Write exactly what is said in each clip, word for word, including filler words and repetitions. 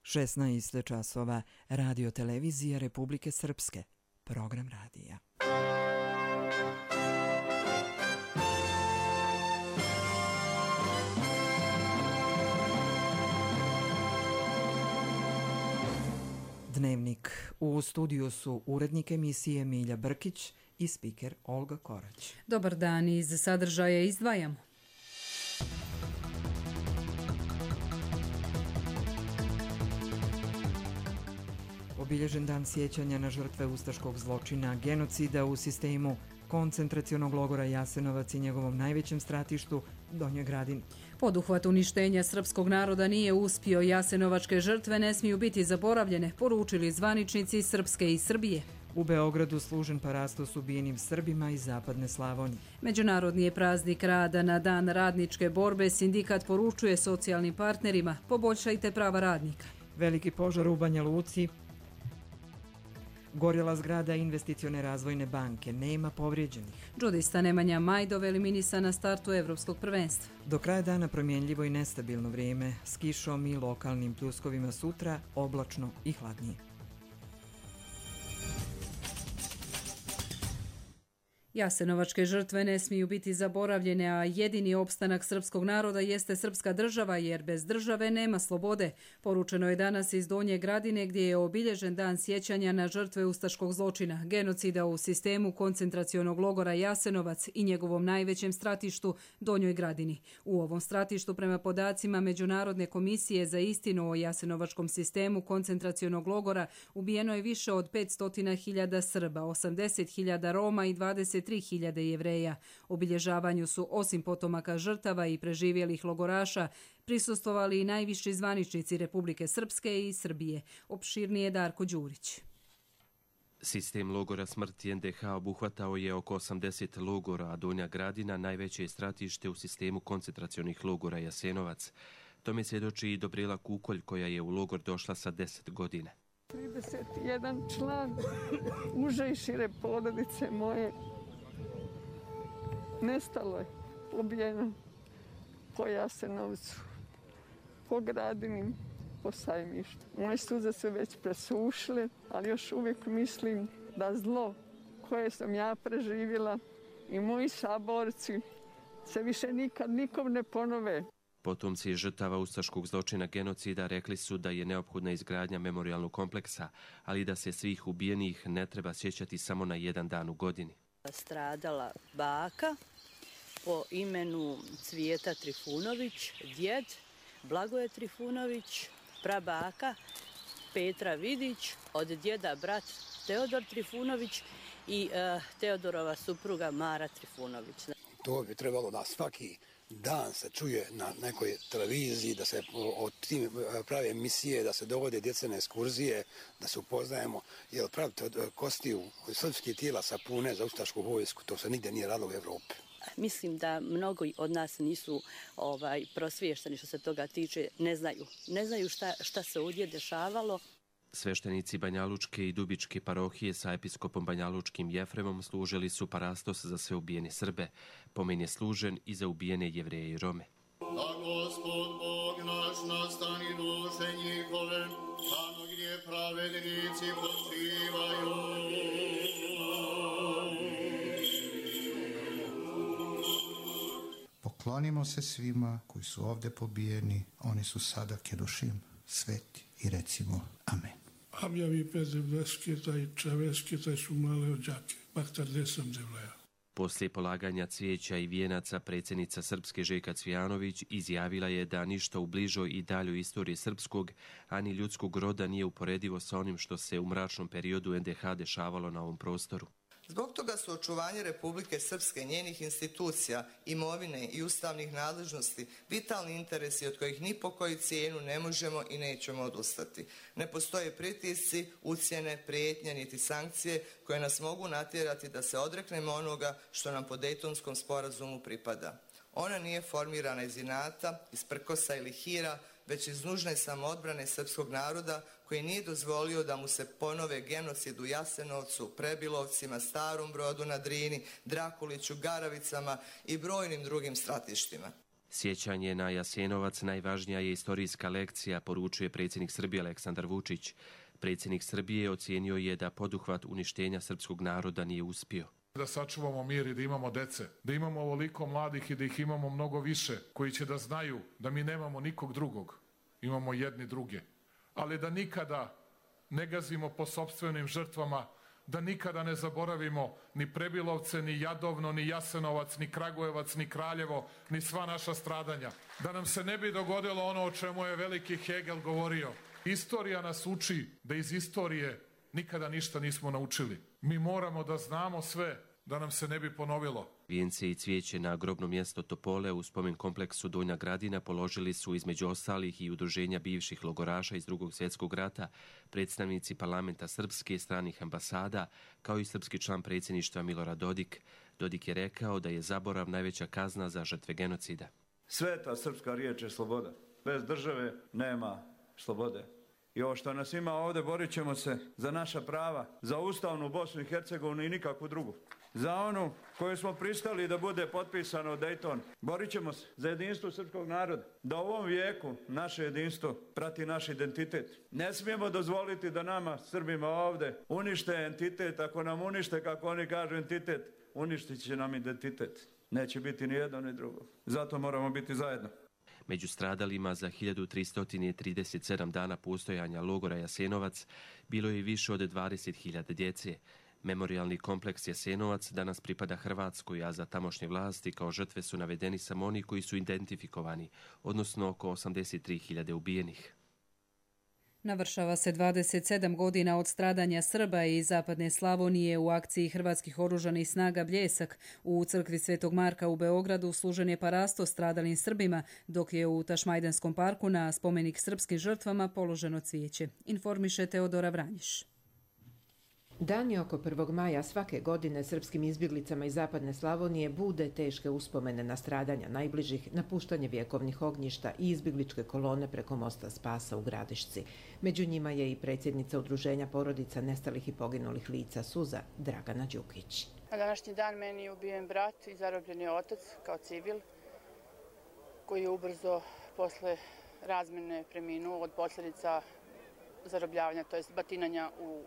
šesnaest časova, Radio Televizija Republike Srpske, program radija. Dnevnik. U studiju su urednik emisije Milja Brkić i spiker Olga Korać. Dobar dan, iz sadržaja izdvajamo. Obilježen dan sjećanja na žrtve ustaškog zločina, genocida u sistemu koncentracionog logora Jasenovac i njegovom najvećem stratištu, Donjoj Gradini. Poduhvat uništenja srpskog naroda nije uspio, jasenovačke žrtve ne smiju biti zaboravljene, poručili zvaničnici Srpske i Srbije. U Beogradu služen parastos ubijenim Srbima iz zapadne Slavonije. Međunarodni je praznik rada. Na dan radničke borbe sindikat poručuje socijalnim partnerima: poboljšajte prava radnika. Veliki požar u Banja Luci. Gorjela zgrada investicione razvojne banke, nema povrijeđenih. Džudista Nemanja Majdov eliminisan na startu evropskog prvenstva. Do kraja dana promjenljivo i nestabilno vrijeme, s kišom i lokalnim pljuskovima, sutra oblačno i hladnije. Jasenovačke žrtve ne smiju biti zaboravljene, a jedini opstanak srpskog naroda jeste srpska država, jer bez države nema slobode. Poručeno je danas iz Donje Gradine, gdje je obilježen dan sjećanja na žrtve ustaškog zločina, genocida u sistemu koncentracionog logora Jasenovac i njegovom najvećem stratištu, Donjoj Gradini. U ovom stratištu, prema podacima Međunarodne komisije za istinu o jasenovačkom sistemu koncentracionog logora, ubijeno je više od petsto hiljada Srba, osamdeset hiljada Roma i dvadeset tri hiljade Jevreja. Obilježavanju su, osim potomaka žrtava i preživjelih logoraša, prisustvovali i najviši zvaničnici Republike Srpske i Srbije. Opširnije Darko Đurić. Sistem logora smrti en de ha obuhvatao je oko osamdeset logora, a Donja Gradina najveće je stratište u sistemu koncentracionih logora Jasenovac. Tome svjedoči i Dobrela Kukolj, koja je u logor došla sa deset godina. trideset jedan član uže i šire porodice moje nestalo je, ubijeno po Jasenovcu, po Gradini, po Sajmištu. Moje suze su već presušile, ali još uvijek mislim da zlo koje sam ja preživjela i moji saborci se više nikad nikom ne ponove. Potomci žrtava ustaškog zločina genocida rekli su da je neophodna izgradnja memorijalnog kompleksa, ali da se svih ubijenih ne treba sjećati samo na jedan dan u godini. Stradala baka po imenu Cvijeta Trifunović, djed Blagoje Trifunović, prabaka Petra Vidić, od djeda brat Teodor Trifunović i uh, Teodorova supruga Mara Trifunović. To bi trebalo da svaki dan se čuje na nekoj televiziji, da se od tim prave emisije, da se dovode djecene ekskurzije, da se upoznajemo, jer pravite od kostiju srpskih tijela sapune za ustašku vojsku, to se nigdje nije radilo u Evropi. Mislim da mnogi od nas nisu ovaj, prosviješteni što se toga tiče, ne znaju. Ne znaju šta, šta se ovdje dešavalo. Sveštenici Banjalučke i Dubičke parohije sa episkopom Banjalučkim Jefremom služili su parastos za sve ubijene Srbe. Pomen je služen i za ubijene Jevreje i Rome. Da Gospod Bog naš na strani duše njihove, tamo gdje pravednici počivaju. Poklonimo se svima koji su ovdje pobijeni, oni su sada kedošim sveti i recimo amen. Abjavi Pezevleskita i Čaveskita su male ođake, baktar desam devleja. Poslije polaganja cvijeća i vijenaca predsjednica Srpske Željka Cvijanović izjavila je da ništa u bližoj i daljoj istoriji srpskog, ani ljudskog roda nije uporedivo sa onim što se u mračnom periodu en de ha dešavalo na ovom prostoru. Zbog toga su očuvanje Republike Srpske, njenih institucija, imovine i ustavnih nadležnosti vitalni interesi od kojih ni po koju cijenu ne možemo i nećemo odustati. Ne postoje pritisci, ucjene, prijetnje niti sankcije koje nas mogu natjerati da se odreknemo onoga što nam po Dejtonskom sporazumu pripada. Ona nije formirana iz inata, iz prkosa ili hira, već iz nužne samoodbrane srpskog naroda koji nije dozvolio da mu se ponove genocid u Jasenovcu, Prebilovcima, Starom Brodu na Drini, Drakuliću, Garavicama i brojnim drugim stratištima. Sjećanje na Jasenovac najvažnija je istorijska lekcija, poručuje predsjednik Srbije Aleksandar Vučić. Predsjednik Srbije ocijenio je da poduhvat uništenja srpskog naroda nije uspio. Da sačuvamo mir i da imamo dece, da imamo ovoliko mladih i da ih imamo mnogo više, koji će da znaju da mi nemamo nikog drugog, imamo jedni druge. Ali da nikada ne gazimo po sopstvenim žrtvama, da nikada ne zaboravimo ni Prebilovce, ni Jadovno, ni Jasenovac, ni Kragujevac, ni Kraljevo, ni sva naša stradanja. Da nam se ne bi dogodilo ono o čemu je veliki Hegel govorio. Istorija nas uči da iz istorije nikada ništa nismo naučili. Mi moramo da znamo sve, da nam se ne bi ponovilo. Vijence i cvijeće na grobno mjesto Topole u spomen kompleksu Donja Gradina položili su između ostalih i udruženja bivših logoraša iz Drugog svjetskog rata, predstavnici parlamenta srpske i stranih ambasada, kao i srpski član predsjedništva Milorad Dodik. Dodik je rekao da je zaborav najveća kazna za žrtve genocida. Sveta srpska riječ je sloboda. Bez države nema slobode. I ovo što nas ima ovdje, borit ćemo se za naša prava, za ustavnu Bosnu i Hercegovinu i nikakvu drugu. Za onu koju smo pristali da bude potpisano u Dayton. Borit ćemo se za jedinstvo srpskog naroda. Da u ovom vijeku naše jedinstvo prati naš identitet. Ne smijemo dozvoliti da nama, Srbima ovdje, unište entitet. Ako nam unište, kako oni kažu, entitet, uništit će nam identitet. Neće biti ni jedno ni drugo. Zato moramo biti zajedno. Među stradalima za hiljadu tristo trideset sedam dana postojanja logora Jasenovac bilo je više od dvadeset hiljada djece. Memorijalni kompleks Jasenovac danas pripada Hrvatskoj, a za tamošnje vlasti kao žrtve su navedeni samo oni koji su identifikovani, odnosno oko osamdeset tri hiljade ubijenih. Navršava se dvadeset sedam godina od stradanja Srba iz Zapadne Slavonije u akciji Hrvatskih oružanih snaga Bljesak. U crkvi Svetog Marka u Beogradu služen je parasto stradalim Srbima, dok je u Tašmajdenskom parku na spomenik srpskim žrtvama položeno cvijeće. Informiše Teodora Vranjiš. Dan je oko prvog maja svake godine srpskim izbjeglicama iz Zapadne Slavonije bude teške uspomene na stradanja najbližih, napuštanje vjekovnih ognjišta i izbjegličke kolone preko mosta Spasa u Gradišci. Među njima je i predsjednica Udruženja porodica nestalih i poginulih lica Suza, Dragana Đukić. Na današnji dan meni je ubijen brat i zarobljen je otac kao civil, koji je ubrzo posle razmene preminuo od posljedica zarobljavanja, to jest batinanja u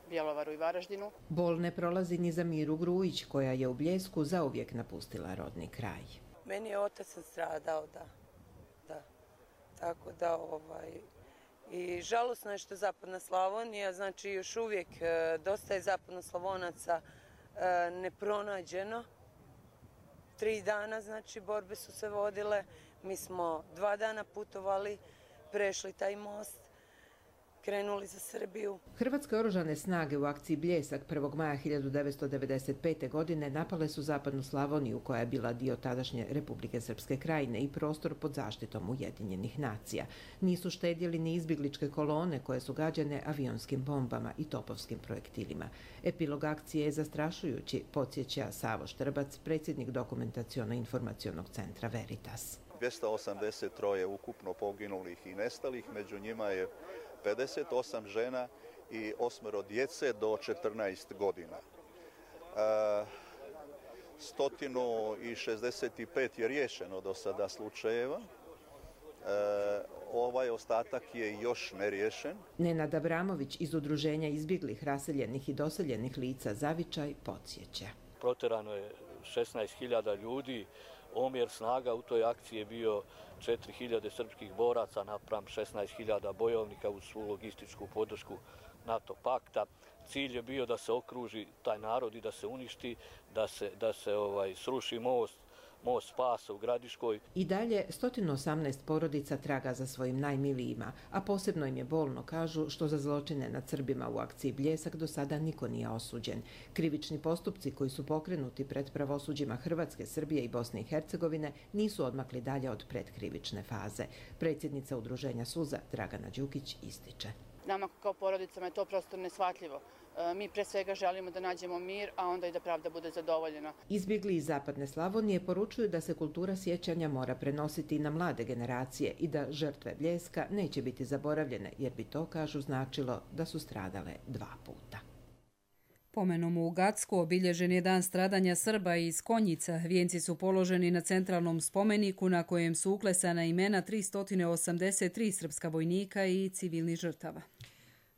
Bjelovaru i Varaždinu. Bol ne prolazi ni za Miru Grujić, koja je u Bljesku zauvijek napustila rodni kraj. Meni je otac stradao, da. da. Tako da, ovaj... I žalosno je što Zapadna Slavonija, znači još uvijek dosta je Zapadnoslavonaca nepronađeno. Tri dana, znači, borbe su se vodile. Mi smo dva dana putovali, prešli taj most, krenuli za Srbiju. Hrvatske oružane snage u akciji Bljesak prvog maja hiljadu devetsto devedeset pete. godine napale su Zapadnu Slavoniju, koja je bila dio tadašnje Republike Srpske krajine i prostor pod zaštitom Ujedinjenih nacija. Nisu štedjeli ni izbjegličke kolone koje su gađane avionskim bombama i topovskim projektilima. Epilog akcije je zastrašujući, podsjeća Savo Štrbac, predsjednik Dokumentaciono-informacionog centra Veritas. dvjesto osamdeset tri ukupno poginulih i nestalih, među njima je pedeset osam žena i osmero djece do četrnaest godina. sto šezdeset pet je riješeno do sada slučajeva. E, ovaj ostatak je još neriješen. Nenad Abramović iz Udruženja izbjeglih, raseljenih i doseljenih lica Zavičaj podsjeća. Proterano je šesnaest hiljada ljudi. Omjer snaga u toj akciji je bio četiri hiljade srpskih boraca napram šesnaest hiljada bojovnika uz svu logističku podršku NATO pakta. Cilj je bio da se okruži taj narod i da se uništi, da se, da se ovaj, sruši most, most Spasa u Gradiškoj. I dalje sto osamnaest porodica traga za svojim najmilijima, a posebno im je bolno, kažu, što za zločine nad Srbima u akciji Bljesak do sada niko nije osuđen. Krivični postupci koji su pokrenuti pred pravosuđima Hrvatske, Srbije i Bosne i Hercegovine nisu odmakli dalje od predkrivične faze. Predsjednica Udruženja Suza, Dragana Đukić, ističe. Nama kao porodicama je to prosto neshvatljivo. Mi pre svega želimo da nađemo mir, a onda i da pravda bude zadovoljena. Izbjegli iz Zapadne Slavonije poručuju da se kultura sjećanja mora prenositi na mlade generacije i da žrtve Bljeska neće biti zaboravljene, jer bi to, kažu, značilo da su stradale dva puta. Pomenom u Gacku obilježen je dan stradanja Srba iz Konjica. Vijenci su položeni na centralnom spomeniku na kojem su uklesana imena tristo osamdeset tri srpska vojnika i civilnih žrtava.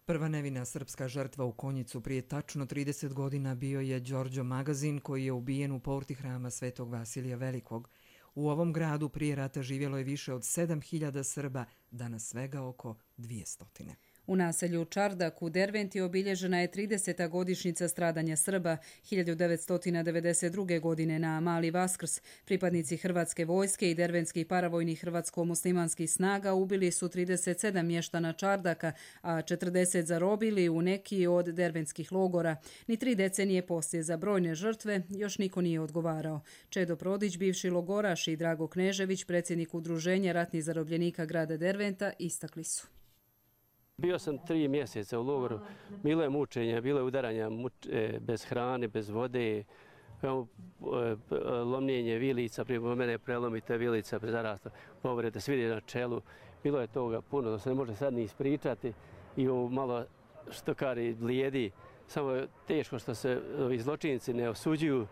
Prva nevina srpska žrtva u Konjicu prije tačno trideset godina bio je Đorđo Magazin, koji je ubijen u porti hrama Svetog Vasilija Velikog. U ovom gradu prije rata živjelo je više od sedam hiljada Srba, danas svega oko dvjesto. U naselju Čardak u Derventi obilježena je trideseta godišnjica stradanja Srba. hiljadu devetsto devedeset druge. godine na Mali Vaskrs pripadnici Hrvatske vojske i derventskih paravojnih hrvatsko-muslimanskih snaga ubili su trideset sedam mještana Čardaka, a četrdeset zarobili u neki od derventskih logora. Ni tri decenije poslije za brojne žrtve još niko nije odgovarao. Čedo Prodić, bivši logoraš, i Drago Knežević, predsjednik udruženja ratnih zarobljenika grada Derventa, istakli su. Bio sam tri mjeseca u logoru, bilo je mučenja, bilo je udaranja bez hrane, bez vode, lomljenje vilica, prije mene prelomite vilica, zarasta, povrede, svide na čelu. Bilo je toga puno, da se ne može sad ni ispričati i ovo malo štokari blijedi. Samo je teško što se ovi zločinci ne osuđuju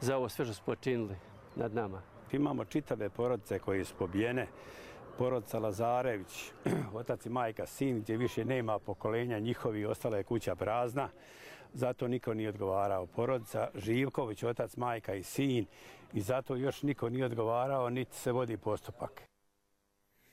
za ovo sve što su počinili nad nama. Imamo čitave porodice koje su pobijene. Porodica Lazarević, otac i majka, sin, gdje više nema pokolenja njihovi, ostala je kuća prazna, zato niko nije odgovarao. Porodica Živković, otac, majka i sin, i zato još niko nije odgovarao, niti se vodi postupak.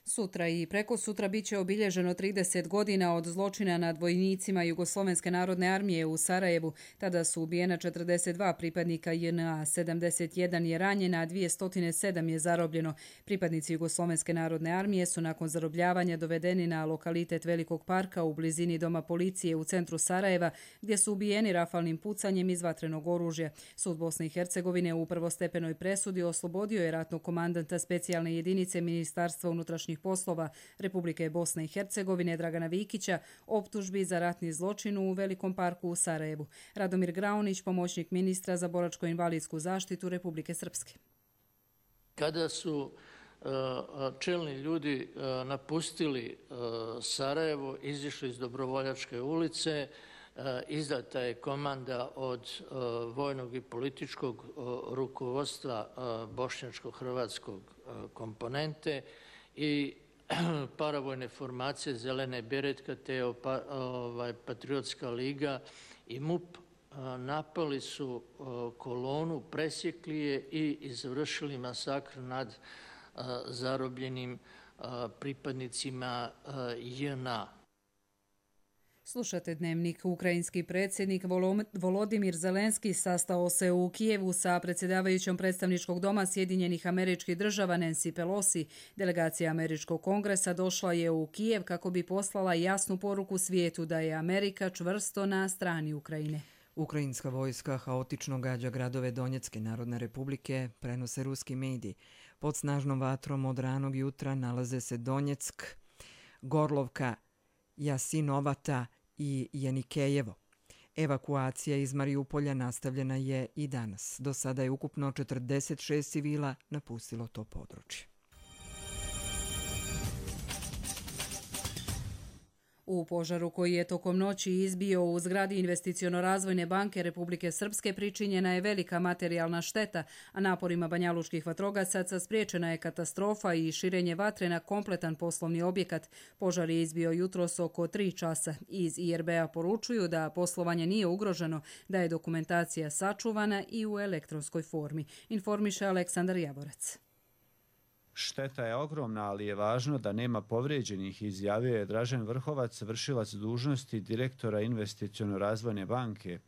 Sutra i preko sutra bit će obilježeno trideset godina od zločina nad vojnicima Jugoslovenske narodne armije u Sarajevu. Tada su ubijena četrdeset dva pripadnika J N A, sedamdeset jedan je ranjena, a dvjesto sedam je zarobljeno. Pripadnici Jugoslovenske narodne armije su nakon zarobljavanja dovedeni na lokalitet Velikog parka u blizini doma policije u centru Sarajeva, gdje su ubijeni rafalnim pucanjem iz vatrenog oružja. Sud Bosne i Hercegovine u prvostepenoj presudi oslobodio je ratnog komandanta specijalne jedinice Ministarstva unutrašnjih poslova Republike Bosne i Hercegovine Dragana Vikića optužbi za ratni zločin u Velikom parku u Sarajevu. Radomir Graunić, pomoćnik ministra za boračko-invalidsku zaštitu Republike Srpske. Kada su čelni ljudi napustili Sarajevo, izišli iz Dobrovoljačke ulice, izdata je komanda od vojnog i političkog rukovodstva bošnjačko-hrvatskog komponente i paravojne formacije Zelene beretka te Patriotska liga i M U P napali su kolonu, presjekli je i izvršili masakr nad zarobljenim pripadnicima J N A. Slušate Dnevnik. Ukrajinski predsjednik Volodimir Zelenski sastao se u Kijevu sa predsjedavajućom predstavničkog doma Sjedinjenih Američkih Država Nancy Pelosi. Delegacija Američkog kongresa došla je u Kijev kako bi poslala jasnu poruku svijetu da je Amerika čvrsto na strani Ukrajine. Ukrajinska vojska haotično gađa gradove Donjecke Narodne republike, prenose ruski mediji. Pod snažnom vatrom od ranog jutra nalaze se Donjeck, Gorlovka, Jasinovata i Jenikejevo. Evakuacija iz Marijupolja nastavljena je i danas. Do sada je ukupno četrdeset šest civila napustilo to područje. U požaru koji je tokom noći izbio u zgradi Investiciono-razvojne banke Republike Srpske pričinjena je velika materijalna šteta, a naporima banjalučkih vatrogasaca spriječena je katastrofa i širenje vatre na kompletan poslovni objekat. Požar je izbio jutros oko tri časa. Iz I R B-a poručuju da poslovanje nije ugroženo, da je dokumentacija sačuvana i u elektronskoj formi. Informiše Aleksandar Javorac. Šteta je ogromna, ali je važno da nema povrijeđenih, izjavio je Dražen Vrhovac, vršilac dužnosti direktora Investiciono-razvojne banke.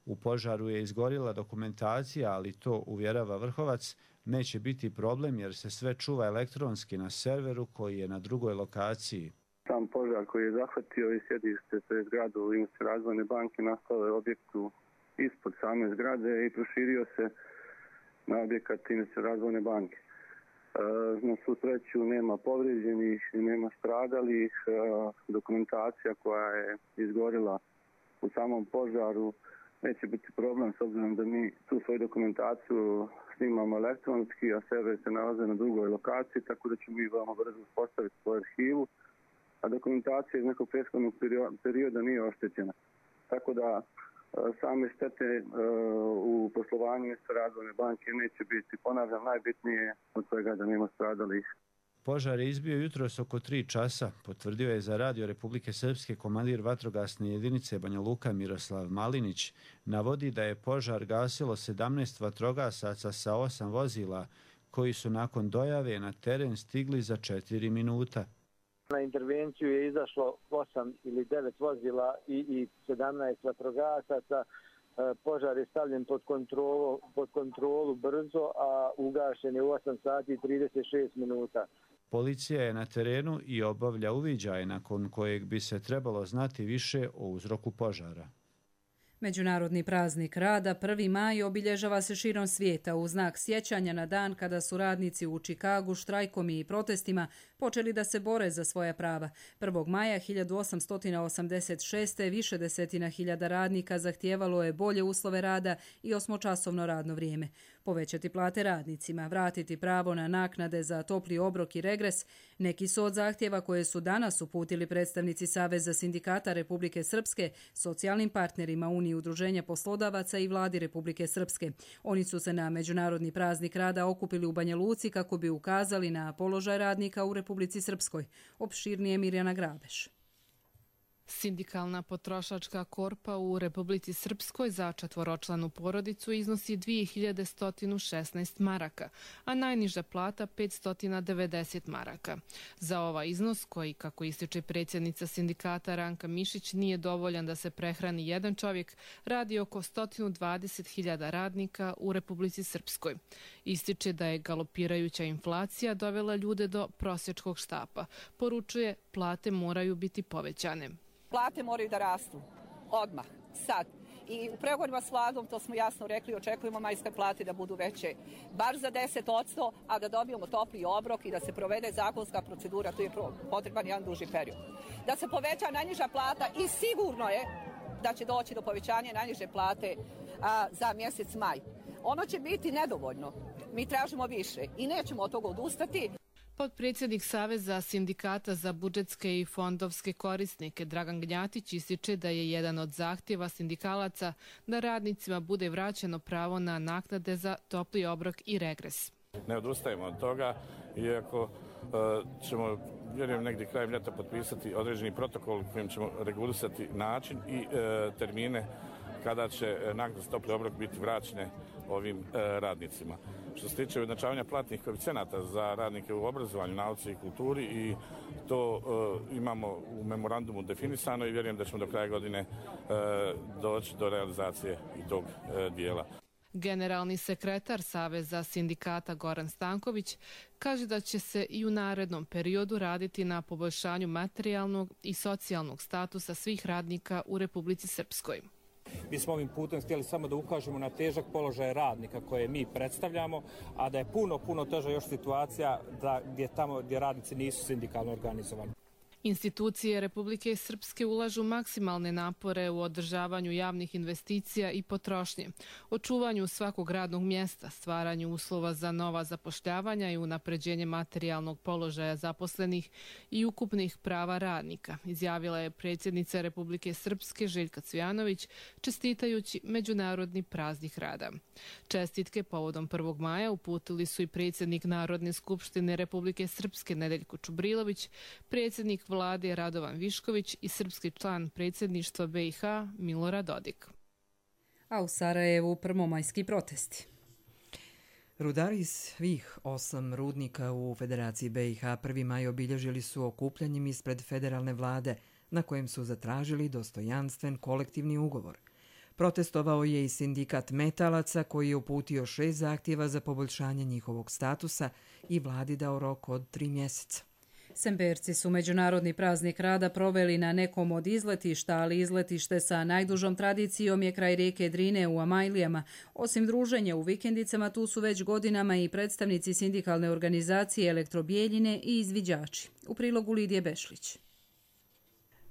U požaru je izgorila dokumentacija, ali to, uvjerava Vrhovac, neće biti problem jer se sve čuva elektronski na serveru koji je na drugoj lokaciji. Sam požar koji je zahvatio i sjedište te zgradu Investiciono-razvojne banke nastao je objektu ispod same zgrade i proširio se na objekat Investiciono-razvojne banke. Na svu sreću nema povrijeđenih, nema stradalih. Dokumentacija koja je izgorila u samom požaru neće biti problem s obzirom da mi tu svoju dokumentaciju snimamo elektronski, a server se nalaze na drugoj lokaciji, tako da ćemo mi veoma brzo postaviti svoju arhivu, a dokumentacija iz nekog prethodnog perioda nije oštećena. Tako da same štete u poslovanju sa Razvojne banke neće biti. Ponavljam, najbitnije od svega da nema stradalih. Požar je izbio jutros oko tri časa, potvrdio je za Radio Republike Srpske komandir vatrogasne jedinice Banja Luka Miroslav Malinić. Navodi da je požar gasilo sedamnaest vatrogasaca sa osam vozila, koji su nakon dojave na teren stigli za četiri minuta. Na intervenciju je izašlo osam ili devet vozila i, i sedamnaest vatrogasaca. Požar je stavljen pod kontrolu, pod kontrolu brzo, a ugašen je u osam sati i trideset šest minuta. Policija je na terenu i obavlja uviđaj nakon kojeg bi se trebalo znati više o uzroku požara. Međunarodni praznik rada prvi maj obilježava se širom svijeta u znak sjećanja na dan kada su radnici u Čikagu štrajkom i protestima počeli da se bore za svoja prava. prvog maja hiljadu osamsto osamdeset šeste. više desetina hiljada radnika zahtijevalo je bolje uslove rada i osmočasovno radno vrijeme. Povećati plate radnicima, vratiti pravo na naknade za topli obrok i regres, neki su od zahtjeva koje su danas uputili predstavnici Saveza sindikata Republike Srpske, socijalnim partnerima Unije udruženja poslodavaca i vladi Republike Srpske. Oni su se na Međunarodni praznik rada okupili u Banja Luci kako bi ukazali na položaj radnika u Republici Srpskoj. Opširnije Mirjana Grabeš. Sindikalna potrošačka korpa u Republici Srpskoj za četvoročlanu porodicu iznosi dvije hiljade sto šesnaest maraka, a najniža plata petsto devedeset maraka. Za ovaj iznos, koji, kako ističe predsjednica sindikata Ranka Mišić, nije dovoljan da se prehrani jedan čovjek, radi oko sto dvadeset hiljada radnika u Republici Srpskoj. Ističe da je galopirajuća inflacija dovela ljude do prosječkog štapa. Poručuje, plate moraju biti povećane. Plate moraju da rastu. Odmah. Sad. I u pregovorima s vladom, to smo jasno rekli, očekujemo majske plate da budu veće. Bar za deset posto, a da dobijemo topli obrok i da se provede zakonska procedura, tu je potreban jedan duži period. Da se poveća najniža plata i sigurno je da će doći do povećanja najniže plate a, za mjesec maj. Ono će biti nedovoljno. Mi tražimo više i nećemo od toga odustati. Potpredsjednik Saveza sindikata za budžetske i fondovske korisnike Dragan Gnjatić ističe da je jedan od zahtjeva sindikalaca da radnicima bude vraćeno pravo na naknade za topli obrok i regres. Ne odustajemo od toga, iako uh, ćemo, vjerujem, negdje krajem ljeta potpisati određeni protokol kojim ćemo regulisati način i uh, termine kada će naknade za topli obrok biti vraćene ovim uh, radnicima. Što se tiče ujednačavanja platnih koeficijenata za radnike u obrazovanju, nauci i kulturi, i to uh, imamo u memorandumu definisano i vjerujem da ćemo do kraja godine uh, doći do realizacije i tog uh, dijela. Generalni sekretar Saveza sindikata Goran Stanković kaže da će se i u narednom periodu raditi na poboljšanju materijalnog i socijalnog statusa svih radnika u Republici Srpskoj. Mi smo ovim putem htjeli samo da ukažemo na težak položaj radnika koje mi predstavljamo, a da je puno, puno teža još situacija da, gdje, tamo, gdje radnici nisu sindikalno organizovani. Institucije Republike Srpske ulažu maksimalne napore u održavanju javnih investicija i potrošnje, očuvanju svakog radnog mjesta, stvaranju uslova za nova zapošljavanja i unapređenje materijalnog položaja zaposlenih i ukupnih prava radnika, izjavila je predsjednica Republike Srpske Željka Cvijanović, čestitajući Međunarodni praznik rada. Čestitke povodom prvog maja uputili su i predsjednik Narodne skupštine Republike Srpske Nedeljko Čubrilović, predsjednik vlade Radovan Višković i srpski član predsjedništva B i H Milorad Dodik. A u Sarajevu prvomajski protesti. Rudari iz svih osam rudnika u Federaciji B i H prvi maj obilježili su okupljanjem ispred federalne vlade, na kojem su zatražili dostojanstven kolektivni ugovor. Protestovao je i sindikat metalaca koji je uputio šest zahtjeva za poboljšanje njihovog statusa i vladi dao rok od tri mjeseca. Semberci su Međunarodni praznik rada proveli na nekom od izletišta, ali izletište sa najdužom tradicijom je kraj rijeke Drine u Amajlijama. Osim druženja u vikendicama, tu su već godinama i predstavnici sindikalne organizacije Elektrobijeljine i izviđači. U prilogu Lidije Bešlić.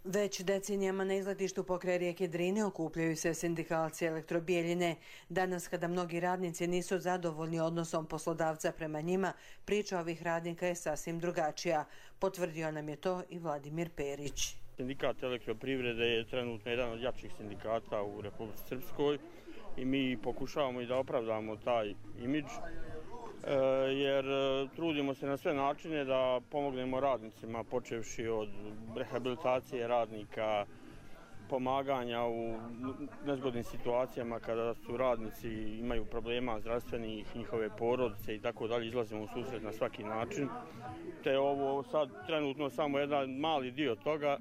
Već decenijama na izletištu pokraj rijeke Drine okupljaju se sindikalci Elektrobijeljine. Danas, kada mnogi radnici nisu zadovoljni odnosom poslodavca prema njima, priča ovih radnika je sasvim drugačija. Potvrdio nam je to i Vladimir Perić. Sindikat elektroprivrede je trenutno jedan od jačih sindikata u Republici Srpskoj i mi pokušavamo i da opravdamo taj imidž, jer trudimo se na sve načine da pomognemo radnicima, počevši od rehabilitacije radnika, pomaganja u nezgodnim situacijama kada su radnici imaju problema zdravstvenih, njihove porodice i tako dalje, izlazimo u susret na svaki način. Te ovo sad trenutno samo jedan mali dio toga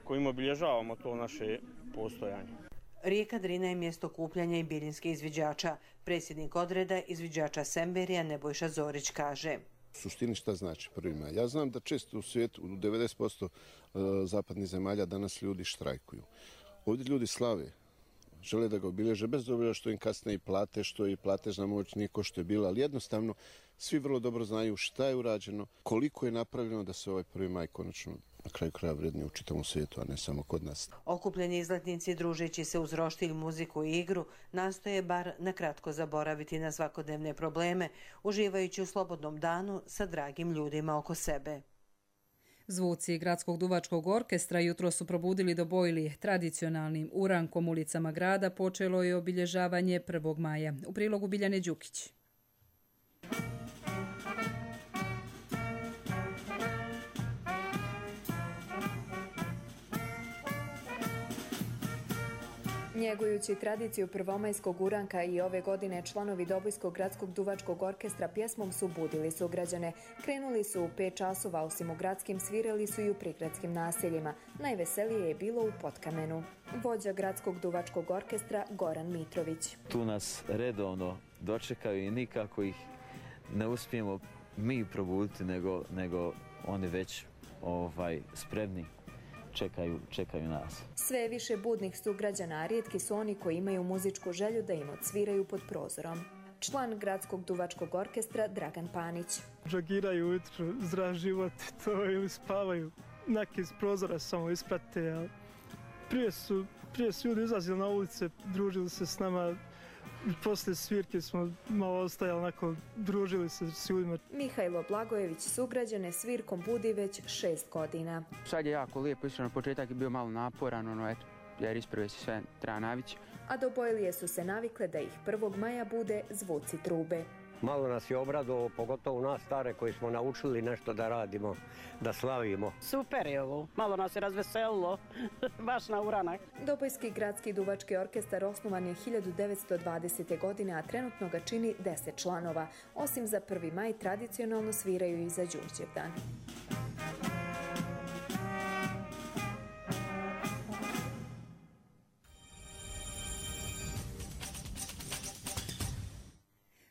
kojim obilježavamo to naše postojanje. Rijeka Drina je mjesto kupljanja i biljinskih izviđača. Predsjednik odreda izviđača Semberija Nebojša Zorić kaže. U suštini šta znači prvi maj? Ja znam da često u svijetu, u devedeset posto zapadnih zemalja danas ljudi štrajkuju. Ovdje ljudi slave, žele da ga obilježe, bez obzira što im kasne i plate, što i platežna moć nije ko što je bila, ali jednostavno svi vrlo dobro znaju šta je urađeno, koliko je napravljeno da se ovaj prvi maj konačno na kraju kraja vrednije u čitavom svijetu, a ne samo kod nas. Okupljeni izletnici, družeći se uz roštilj, muziku i igru, nastoje bar na kratko zaboraviti na svakodnevne probleme, uživajući u slobodnom danu sa dragim ljudima oko sebe. Zvuci Gradskog duvačkog orkestra jutro su probudili do bojli. Tradicionalnim urankom ulicama grada počelo je obilježavanje prvog maja. U prilogu Biljane Đukić. Njegujući tradiciju prvomajskog uranka i ove godine članovi Dobojskog gradskog duvačkog orkestra pjesmom su budili sugrađane. Krenuli su u pet časova, osim u gradskim, svirali su i u prigradskim naseljima. Najveselije je bilo u Potkamenu. Vođa Gradskog duvačkog orkestra Goran Mitrović. Tu nas redovno dočekaju i nikako ih ne uspijemo mi probuditi, nego, nego oni već ovaj, spremni. Čekaju, čekaju nas. Sve više budnih sugrađana, a rijetki su oni koji imaju muzičku želju da im odsviraju pod prozorom. Član Gradskog duvačkog orkestra Dragan Panić. Džogiraju ujutru, zdrav život, to ili spavaju. Neki iz prozora samo isprate, ali prije su, prije su ljudi izlazili na ulice, družili se s nama. Poslije svirke smo malo ostajali, onako, družili se s ljudima. Mihajlo Blagojević sugrađane svirkom budi već šest godina. Sad je jako lijepo, iskreno početak je bio malo naporan, ono, eto, jer isprve se sve treba navići. A do bojlije su se navikle da ih prvog maja bude zvuci trube. Malo nas je obradovalo, pogotovo nas stare koji smo naučili nešto da radimo, da slavimo. Super je ovo, malo nas je razveselilo, baš na uranak. Dobojski gradski duvački orkestar osnovan je hiljadu devetsto dvadesete. godine, a trenutno ga čini deset članova. Osim za prvi maj, tradicionalno sviraju i za Đurđevdan.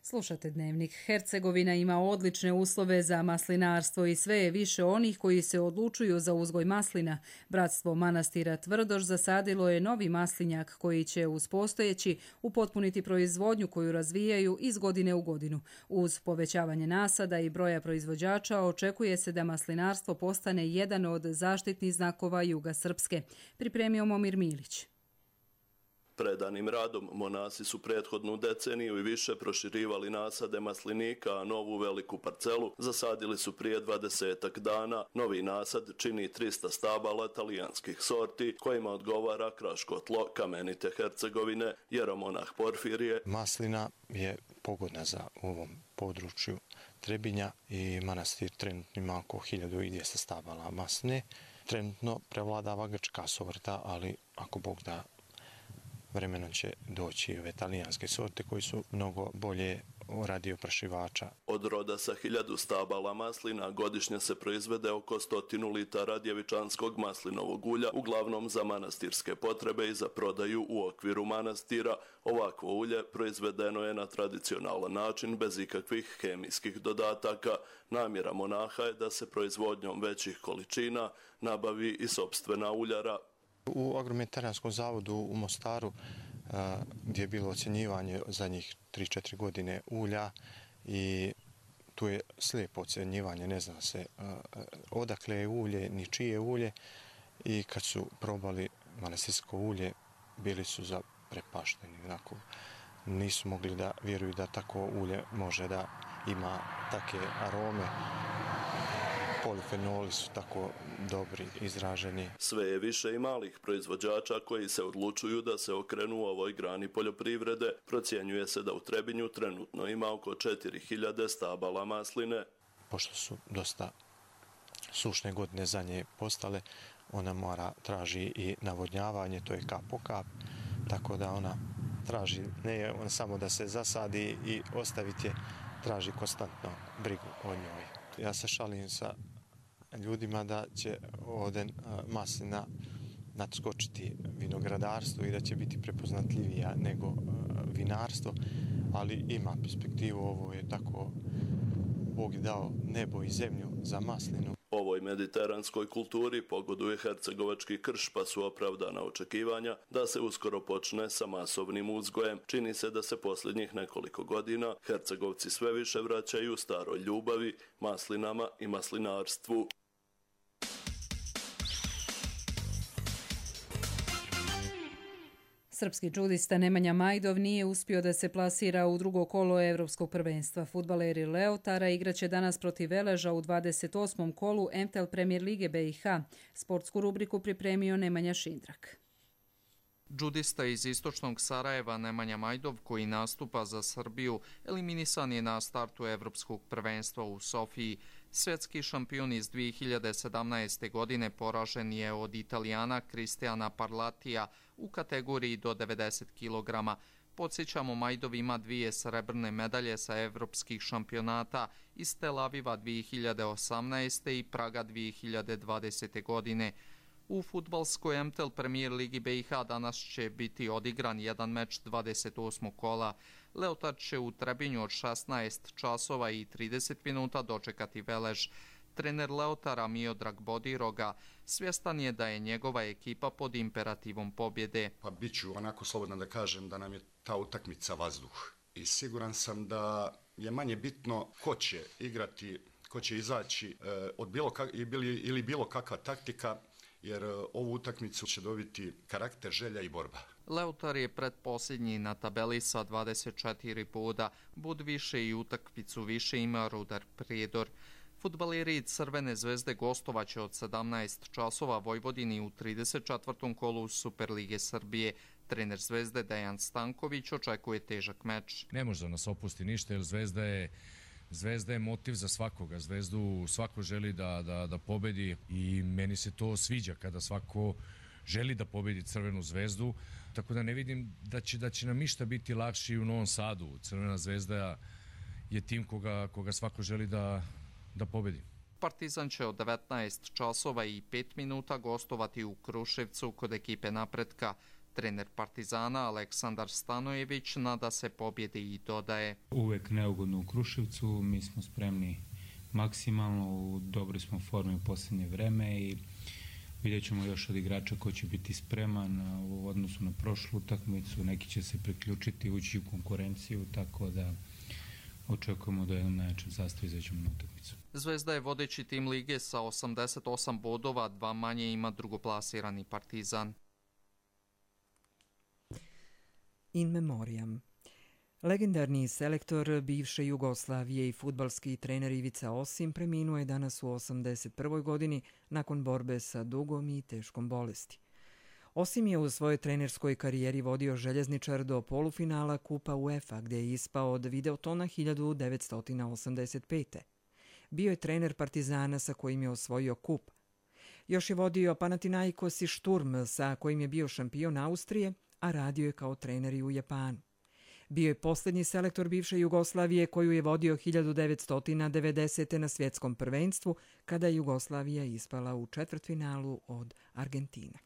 Slušate Dnevnik. Hercegovina ima odlične uslove za maslinarstvo i sve je više onih koji se odlučuju za uzgoj maslina. Bratstvo manastira Tvrdoš zasadilo je novi maslinjak koji će uz postojeći upotpuniti proizvodnju koju razvijaju iz godine u godinu. Uz povećavanje nasada i broja proizvođača očekuje se da maslinarstvo postane jedan od zaštitnih znakova Juga Srpske. Pripremio Momir Milić. Predanim radom monasi su prethodnu deceniju i više proširivali nasade maslinika, a novu veliku parcelu zasadili su prije dvadesetak dana. Novi nasad čini trista stabala talijanskih sorti kojima odgovara kraško tlo kamenite Hercegovine. Jeromonah Porfirije. Maslina je pogodna za ovom području Trebinja i manastir trenutno ima oko hiljadu dvjesto stabala masline. Trenutno prevladava grčka sorta, ali ako Bog da, vremenom će doći i ove talijanske sorte koji su mnogo bolje radi oprašivača. Od roda sa hiljadu stabala maslina godišnje se proizvede oko stotinu litara djevičanskog maslinovog ulja, uglavnom za manastirske potrebe i za prodaju u okviru manastira. Ovakvo ulje proizvedeno je na tradicionalan način, bez ikakvih hemijskih dodataka. Namjera monaha je da se proizvodnjom većih količina nabavi i sopstvena uljara. U Agrometarijanskom zavodu u Mostaru, gdje je bilo ocjenjivanje zadnjih tri četiri godine ulja, i tu je slijepo ocjenjivanje, ne zna se odakle je ulje, ni čije je ulje, i kad su probali manastirsko ulje, bili su zaprepašteni. Onako, nisu mogli da vjeruju da tako ulje može da ima take arome. polifenoli su tako dobri, izraženi. Sve je više i malih proizvođača koji se odlučuju da se okrenu u ovoj grani poljoprivrede. Procjenjuje se da u Trebinju trenutno ima oko četiri hiljade stabala masline. Pošto su dosta sušne godine za nje postale, ona mora traži i navodnjavanje, to je kap po kap, tako da ona traži ne on samo da se zasadi i ostaviti je, traži konstantno brigu o njoj. Ja se šalim sa ljudima da će ovdje maslina nadskočiti vinogradarstvo i da će biti prepoznatljivija nego vinarstvo, ali ima perspektivu, ovo je tako, Bog je dao nebo i zemlju za maslinu. Ovoj mediteranskoj kulturi pogoduje hercegovački krš, pa su opravdana očekivanja da se uskoro počne sa masovnim uzgojem. Čini se da se posljednjih nekoliko godina Hercegovci sve više vraćaju staroj ljubavi, maslinama i maslinarstvu. Srpski džudista Nemanja Majdov nije uspio da se plasira u drugo kolo Evropskog prvenstva. Fudbaleri Leotara igraće danas protiv Veleža u dvadeset osmom kolu M T L Premier Lige B i H. Sportsku rubriku pripremio Nemanja Šindrak. Džudista iz istočnog Sarajeva Nemanja Majdov, koji nastupa za Srbiju, eliminisan je na startu Evropskog prvenstva u Sofiji. Svjetski šampion iz dvije hiljade sedamnaeste. godine poražen je od Italijana Cristiana Parlatija u kategoriji do devedeset kilograma. Podsjećamo, Majdov ima dvije srebrne medalje sa evropskih šampionata iz Tel Aviva dvije hiljade osamnaeste. i Praga dvije hiljade dvadesete. godine. U fudbalskoj M T L Premier Ligi B i H danas će biti odigran jedan meč dvadeset osmog kola. Leotar će u Trebinju od šesnaest časova i trideset minuta dočekati Velež. Trener Leotara Miodrag Bodiroga svjestan je da je njegova ekipa pod imperativom pobjede. Pa bit ću onako slobodan da kažem da nam je ta utakmica vazduh. I siguran sam da je manje bitno ko će igrati, ko će izaći e, od bilo kak, ili, ili bilo kakva taktika, jer ovu utakmicu će dobiti karakter, želja i borba. Leotar je predposljednji na tabeli sa dvadeset četiri boda, bod više i utakmicu više ima Rudar Prijedor. Fudbaleri Crvene zvezde gostovaće od sedamnaest časova Vojvodini u trideset četvrtom kolu Superlige Srbije. Trener Zvezde Dejan Stanković očekuje težak meč. Ne može da nas opusti ništa, jer Zvezda je Zvezda je motiv za svakoga. Zvezdu svako želi da, da, da pobedi i meni se to sviđa kada svako želi da pobedi Crvenu zvezdu. Tako da ne vidim da će, da će nam išta biti lakši u Novom Sadu. Crvena zvezda je tim koga, koga svako želi da, da pobedi. Partizan će od devetnaest časova i pet minuta gostovati u Kruševcu kod ekipe Napretka. Trener Partizana Aleksandar Stanojević nada se pobjede i dodaje: Uvek neugodno u Kruševcu, mi smo spremni maksimalno, u dobroj smo formi u posljednje vreme i vidjet ćemo još od igrača ko će biti spreman u odnosu na prošlu utakmicu. Neki će se priključiti, ući u konkurenciju, tako da očekujemo da jednom najjačem sastavu izađemo na utakmicu. Zvezda je vodeći tim lige sa osamdeset osam bodova, dva manje ima drugoplasirani Partizan. In memoriam. Legendarni selektor bivše Jugoslavije i fudbalski trener Ivica Osim preminuo je danas u osamdeset prvoj. godini nakon borbe sa dugom i teškom bolesti. Osim je u svojoj trenerskoj karijeri vodio Željezničar do polufinala Kupa UEFA, gdje je ispao od Videotona hiljadu devetsto osamdeset pete. Bio je trener Partizana sa kojim je osvojio kup. Još je vodio Panathinaikos i Šturm sa kojim je bio šampion Austrije, a radio je kao trener i u Japanu. Bio je posljednji selektor bivše Jugoslavije koju je vodio hiljadu devetsto devedesete. na svjetskom prvenstvu, kada je Jugoslavija ispala u četvrtfinalu od Argentine.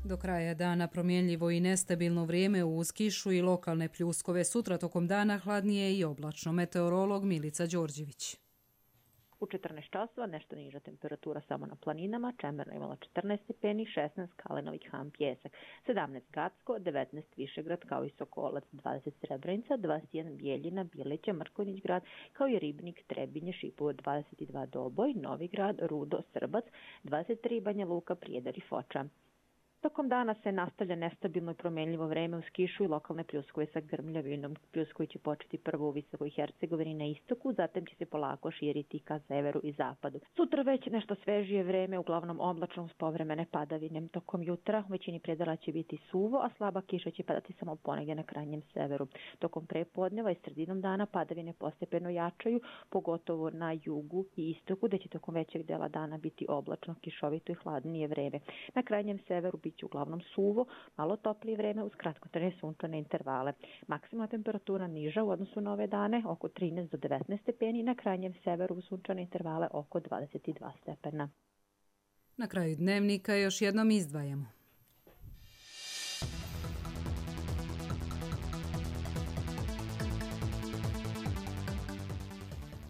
Do kraja dana promjenljivo i nestabilno vrijeme uz kišu i lokalne pljuskove. Sutra tokom dana hladnije i oblačno. Meteorolog Milica Đorđević. U četrnaest časova nešto niža temperatura samo na planinama, Čemerna imala četrnaest stepeni, šesnaest Kalenović Han Pjesak, sedamnaest Gacko, devetnaest Višegrad kao i Sokolac, dvadeset Srebrenica, dvadeset jedan Bijeljina, Bileća, Mrkonjić grad kao i Ribnik, Trebinje, Šipovo, dvadeset dva Doboj, Novi grad, Rudo, Srbac, dvadeset tri Banja Luka, Prijedor i Foča. Tokom dana se nastavlja nestabilno i promenljivo vreme uz kišu i lokalne pljuskove sa grmljavinom. Pljuskovi će početi prvo u Visokoj Hercegovini na istoku, zatim će se polako širiti ka severu i zapadu. Sutra već nešto svežije vreme, uglavnom oblačno uz povremene padavine. Tokom jutra u većini predela će biti suvo, a slaba kiša će padati samo ponegdje na krajnjem severu. Tokom prepodneva i sredinom dana padavine postepeno jačaju, pogotovo na jugu i istoku, gde će tokom većeg dela dana biti oblačno, kišovito i hladnije vreme. Na krajnjem severu bit će uglavnom suvo, malo toplije vreme uz kratkotrajne sunčane intervale. Maksimalna temperatura niža u odnosu na ove dane, oko trinaest do devetnaest stepeni, na krajnjem severu uz sunčane intervale oko dvadeset dva stepena. Na kraju dnevnika još jednom izdvajamo.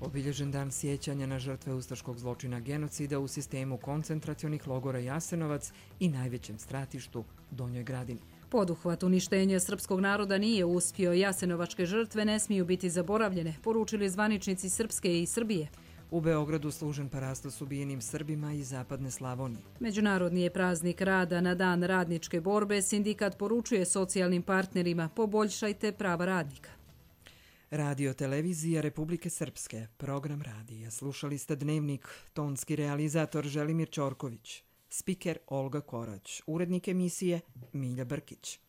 Obilježen dan sjećanja na žrtve ustaškog zločina genocida u sistemu koncentracionih logora Jasenovac i najvećem stratištu Donjoj Gradini. Poduhvat uništenja srpskog naroda nije uspio. Jasenovačke žrtve ne smiju biti zaboravljene, poručili zvaničnici Srpske i Srbije. U Beogradu služen parastos ubijenim Srbima iz zapadne Slavonije. Međunarodni je praznik rada. Na dan radničke borbe sindikat poručuje socijalnim partnerima: poboljšajte prava radnika. Radio televizija Republike Srpske, program radija. Slušali ste Dnevnik, tonski realizator Želimir Ćorković, spiker Olga Korać, urednik emisije Milja Brkić.